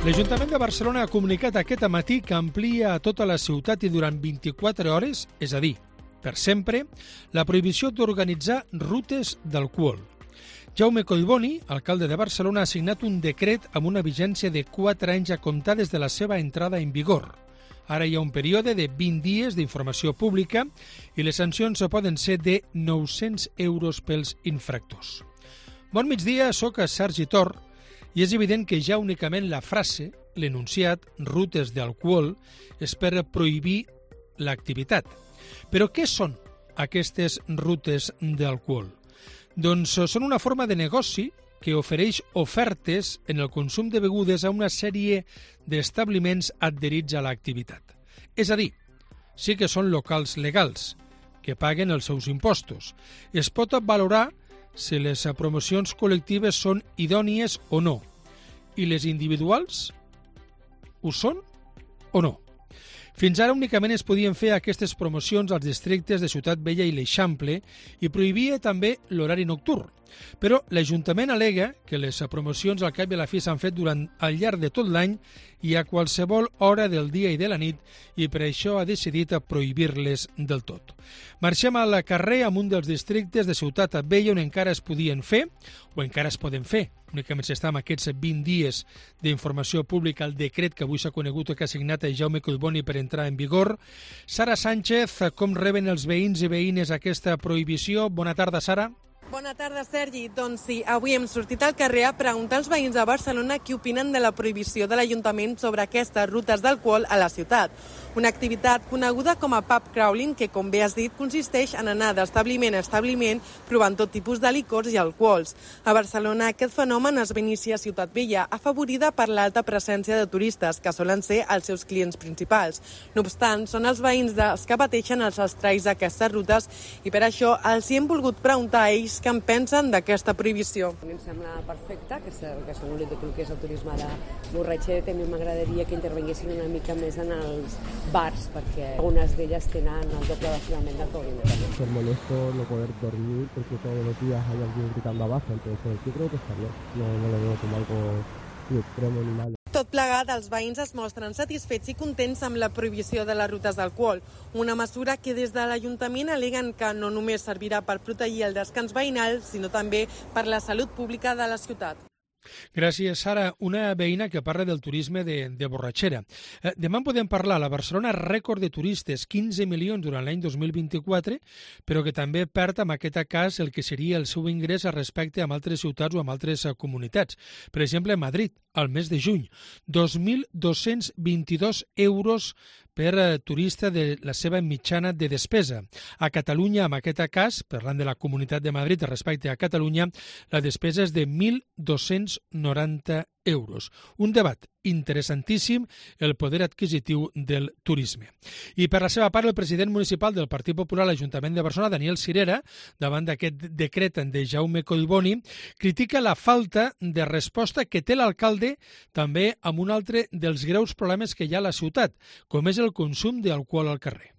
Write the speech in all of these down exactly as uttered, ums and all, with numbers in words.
L'Ajuntament de Barcelona ha comunicat aquest matí que amplia a tota la ciutat i durant vint-i-quatre hores, és a dir, per sempre, la prohibició d'organitzar rutes d'alcohol. Jaume Collboni, alcalde de Barcelona, ha signat un decret amb una vigència de quatre anys a comptar des de la seva entrada en vigor. Ara hi ha un període de vint dies d'informació pública i les sancions poden ser de nou-cents euros pels infractors. Bon migdia, soc Sergi Tor i és evident que ja únicament la frase, l'enunciat rutes d'alcohol, és per prohibir l'activitat. Però què són aquestes rutes d'alcohol? Doncs són una forma de negoci que ofereix ofertes en el consum de begudes a una sèrie d'establiments adherits a l'activitat. És a dir, sí que són locals legals, que paguen els seus impostos. Es pot valorar si les promocions col·lectives són idònies o no. I les individuals ho són o no? Fins ara únicament es podien fer aquestes promocions als districtes de Ciutat Vella i l'Eixample i prohibia també l'horari nocturn. Però l'Ajuntament al·lega que les promocions al cap i a la fi s'han fet durant al llarg de tot l'any i a qualsevol hora del dia i de la nit i per això ha decidit prohibir-les del tot. Marxem al carrer amb un dels districtes de Ciutat Vella on encara es podien fer o encara es poden fer. Únicament s'està amb aquests vint dies d'informació pública al decret que avui s'ha conegut que ha signat Jaume Collboni per entrar en vigor. Sara Sánchez, com reben els veïns i veïnes aquesta prohibició? Bona tarda, Sara. Bona tarda, Sergi. Doncs sí, avui hem sortit al carrer a preguntar als veïns de Barcelona què opinen de la prohibició de l'Ajuntament sobre aquestes rutes d'alcohol a la ciutat. Una activitat coneguda com a pub crawling que, com bé has dit, consisteix en anar d'establiment a establiment provant tot tipus de licors i alcohols. A Barcelona aquest fenomen es va iniciar a Ciutat Vella, afavorida per l'alta presència de turistes, que solen ser els seus clients principals. No obstant, són els veïns dels que pateixen els estralls d'aquestes rutes i per això els hi hem volgut preguntar a ells què en pensen d'aquesta prohibició. A mi em sembla perfecte que s'anul·li tot el que és el turisme de borratxera. A mi m'agradaria que intervinguessin una mica més en els bars, perquè algunes d'elles tenen el doble d'aforament del que Es molesto no poder dormir porque todos los días hay alguien gritando abajo, entonces yo creo que está bien. No, no lo veo como algo ni extremo ni mal. Tot plegat, els veïns es mostren satisfets i contents amb la prohibició de les rutes d'alcohol, una mesura que des de l'Ajuntament al·leguen que no només servirà per protegir el descans veïnal, sinó també per la salut pública de la ciutat. Gràcies, Sara. Una veïna que parla del turisme de, de borratxera. Eh, demà en podem parlar. La Barcelona rècord de turistes, quinze milions durant l'any dos mil vint-i-quatre, però que també perd en aquest cas el que seria el seu ingrés respecte a altres ciutats o a altres comunitats. Per exemple, a Madrid, al mes de juny, dos mil dos-cents vint-i-dos euros per eh, turista de la seva mitjana de despesa. A Catalunya, en aquest cas, parlant de la Comunitat de Madrid respecte a Catalunya, la despesa és de mil dos-cents noranta euros. Un debat interessantíssim, el poder adquisitiu del turisme. I per la seva part, el president municipal del Partit Popular a l'Ajuntament de Barcelona, Daniel Sirera, davant d'aquest decret de Jaume Collboni, critica la falta de resposta que té l'alcalde també amb un altre dels greus problemes que hi ha a la ciutat, com és el consum d'alcohol al carrer.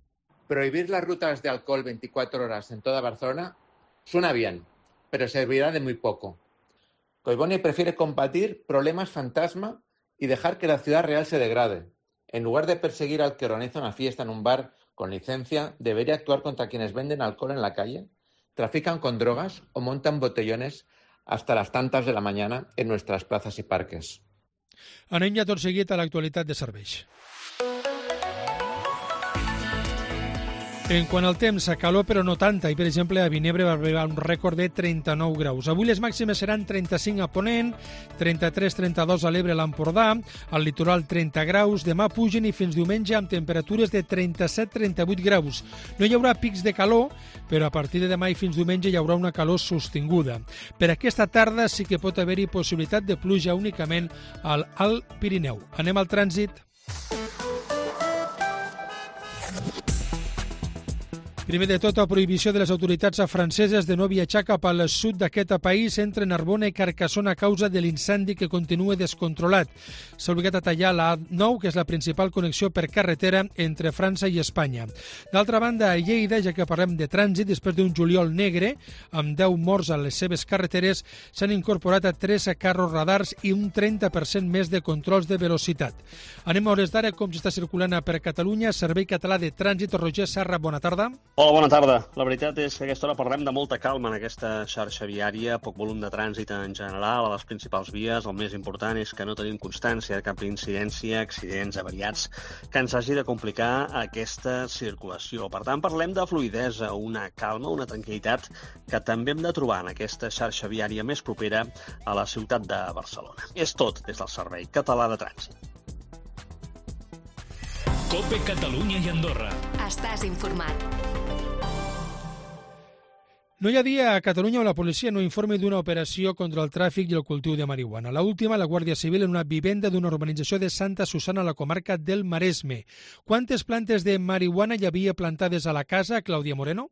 Prohibir las rutas de alcohol veinticuatro horas en toda Barcelona suena bien, pero servirá de muy poco. Collboni prefiere combatir problemas fantasma y dejar que la ciudad real se degrade. En lugar de perseguir al que organiza una fiesta en un bar con licencia, debería actuar contra quienes venden alcohol en la calle, trafican con drogas o montan botellones hasta las tantas de la mañana en nuestras plazas y parques. Anem ja tot seguit a l'actualitat de serveis. En quant al temps, calor però no tanta, i per exemple a Vinebre va arribar un rècord de trenta-nou graus. Avui les màximes seran trenta-cinc a Ponent, trenta-tres trenta-dos a l'Ebre, a l'Empordà, al litoral trenta graus, demà pugen i fins diumenge amb temperatures de trenta-set trenta-vuit graus. No hi haurà pics de calor, però a partir de demà i fins diumenge hi haurà una calor sostinguda. Per aquesta tarda sí que pot haver-hi possibilitat de pluja únicament al Alt Pirineu. Anem al trànsit. Primer de tot, la prohibició de les autoritats franceses de no viatjar cap al sud d'aquest país entre Narbona i Carcassona a causa de l'incendi que continua descontrolat. S'ha obligat a tallar la A nou, que és la principal connexió per carretera entre França i Espanya. D'altra banda, a Lleida, ja que parlem de trànsit, després d'un juliol negre, amb deu morts a les seves carreteres, s'han incorporat a tres carros radars i un trenta per cent més de controls de velocitat. Anem a hores d'ara com s'està circulant per Catalunya. Servei Català de Trànsit. Roger Serra, bona tarda. Hola, bona tarda. La veritat és que a aquesta hora parlem de molta calma en aquesta xarxa viària, poc volum de trànsit en general a les principals vies. El més important és que no tenim constància de cap incidència, accidents, avariats, que ens hagi de complicar aquesta circulació. Per tant, parlem de fluïdesa, una calma, una tranquil·litat que també hem de trobar en aquesta xarxa viària més propera a la ciutat de Barcelona. És tot des del Servei Català de Trànsit. COPE Catalunya i Andorra. Estàs informat. No hi ha dia a Catalunya on la policia no informi d'una operació contra el tràfic i el cultiu de marihuana. La última, la Guàrdia Civil en una vivenda d'una urbanització de Santa Susana a la comarca del Maresme. Quantes plantes de marihuana hi havia plantades a la casa, Clàudia Moreno?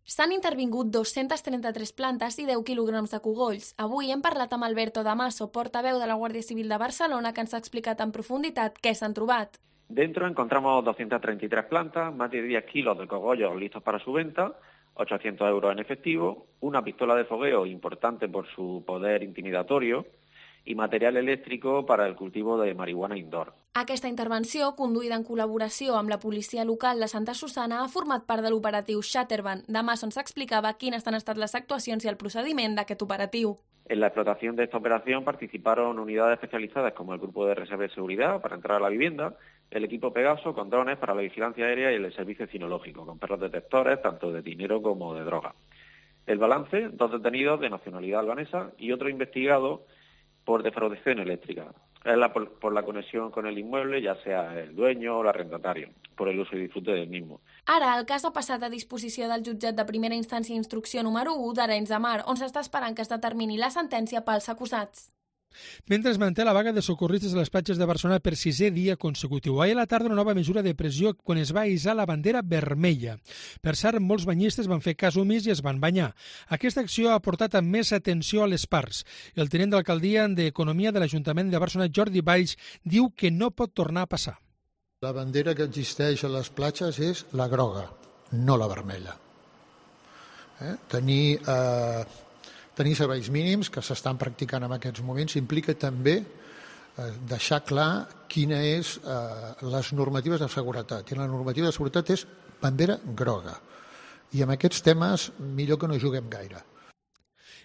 S'han intervingut dos-centes trenta-tres plantes i deu quilograms de cogolls. Avui hem parlat amb Alberto Damaso, portaveu de la Guàrdia Civil de Barcelona, que ens ha explicat en profunditat què s'han trobat. Dentro encontramos doscientas treinta y tres plantas, más de diez kilos de cogollos listos para su venta, ochocientos euros en efectivo, una pistola de fogueo importante por su poder intimidatorio i material elèctric para el cultivo de marihuana indoor. Aquesta intervenció, conduïda en col·laboració amb la policia local de Santa Susana, ha format part de l'operatiu Shatterban. Demà s'ens explicava quines han estat les actuacions i el procediment d'aquest operatiu. En la explotación de esta operación participaron unidades especializadas como el Grupo de Reserva de Seguridad para entrar a la vivienda, el equipo Pegaso con drones para la vigilancia aérea y el servicio cinológico, con perros detectores tanto de dinero como de droga. El balance, dos detenidos de nacionalidad albanesa y otro investigado por defraudación eléctrica. Es la, por, por la conexión con el inmueble, ya sea el dueño o el arrendatario, por el uso y disfrute del mismo. Ara, el cas ha passat a disposició del jutjat de primera instància i instrucció número u d'Arenys de Mar, on s'està esperant que es determini la sentència pels acusats. Mentre es manté la vaga de socorristes a les platges de Barcelona per sisè dia consecutiu. Ahir a la tarda una nova mesura de pressió quan es va hissar la bandera vermella. Per cert, molts banyistes van fer cas omís i es van banyar. Aquesta acció ha portat a més atenció a les parts. El tinent d'alcaldia d'Economia de l'Ajuntament de Barcelona, Jordi Valls, diu que no pot tornar a passar. La bandera que existeix a les platges és la groga, no la vermella. Eh? Tenir... Eh... Tenir serveis mínims que s'estan practicant en aquests moments implica també eh, deixar clar quines és eh, les normatives de seguretat. I la normativa de seguretat és bandera groga. I amb aquests temes millor que no juguem gaire.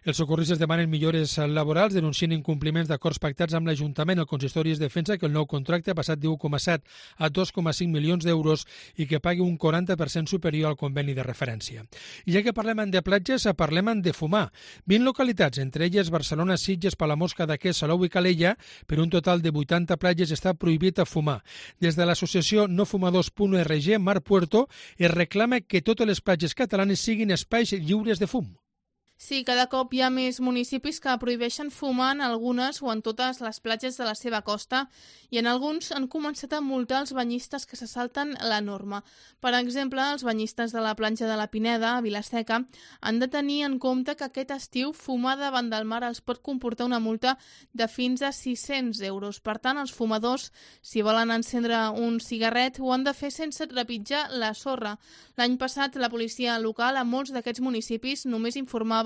Els socorristes demanen millores laborals, denuncien incompliments d'acords pactats amb l'Ajuntament. El consistori es defensa que el nou contracte ha passat d'un coma set a dos coma cinc milions d'euros i que pagui un quaranta per cent superior al conveni de referència. I ja que parlem de platges, parlem de fumar. vint localitats, entre elles Barcelona, Sitges, Palamós, Cadaqués, Salou i Calella, per un total de vuitanta platges està prohibit a fumar. Des de l'associació no fumadors punt org, Mar Puerto, es reclama que totes les platges catalanes siguin espais lliures de fum. Sí, cada cop hi ha més municipis que prohibeixen fumar en algunes o en totes les platges de la seva costa i en alguns han començat a multar els banyistes que se salten la norma. Per exemple, els banyistes de la platja de la Pineda, a Vilaseca, han de tenir en compte que aquest estiu fumar davant del mar els pot comportar una multa de fins a sis-cents euros. Per tant, els fumadors, si volen encendre un cigarret, ho han de fer sense trepitjar la sorra. L'any passat, la policia local a molts d'aquests municipis només informava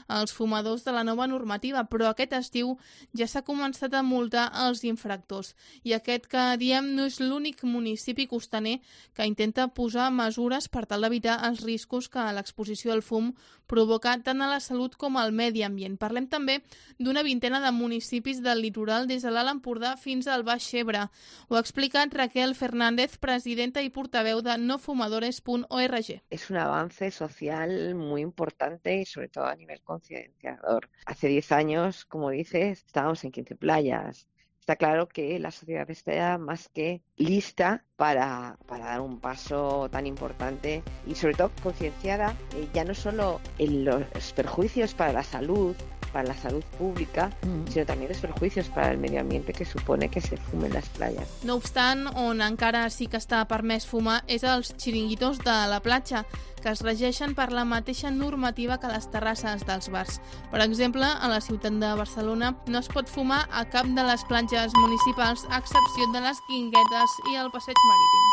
als fumadors de la nova normativa, però aquest estiu ja s'ha començat a multar els infractors. I aquest que diem no és l'únic municipi costaner que intenta posar mesures per tal d'evitar els riscos que l'exposició al fum provoca tant a la salut com al medi ambient. Parlem també d'una vintena de municipis del litoral des de l'Alt Empordà fins al Baix Ebre. Ho ha explicat Raquel Fernández, presidenta i portaveu de no fumadores punt org. Es un avance social muy importante y sobre todo a nivel concienciador. Hace diez años, como dices, estábamos en quince playas. Está claro que la sociedad está más que lista para, para dar un paso tan importante y sobre todo concienciada eh, ya no solo en los perjuicios para la salud para la salud pública, mm. sino también los perjuicios para el medio ambiente que supone que se fumen las playas. No obstant, on encara sí que està permès fumar és als xiringuitos de la platja, que es regeixen per la mateixa normativa que les terrasses dels bars. Per exemple, a la ciutat de Barcelona no es pot fumar a cap de les platges municipals, a excepció de les Guinguetes i el Passeig Marítim.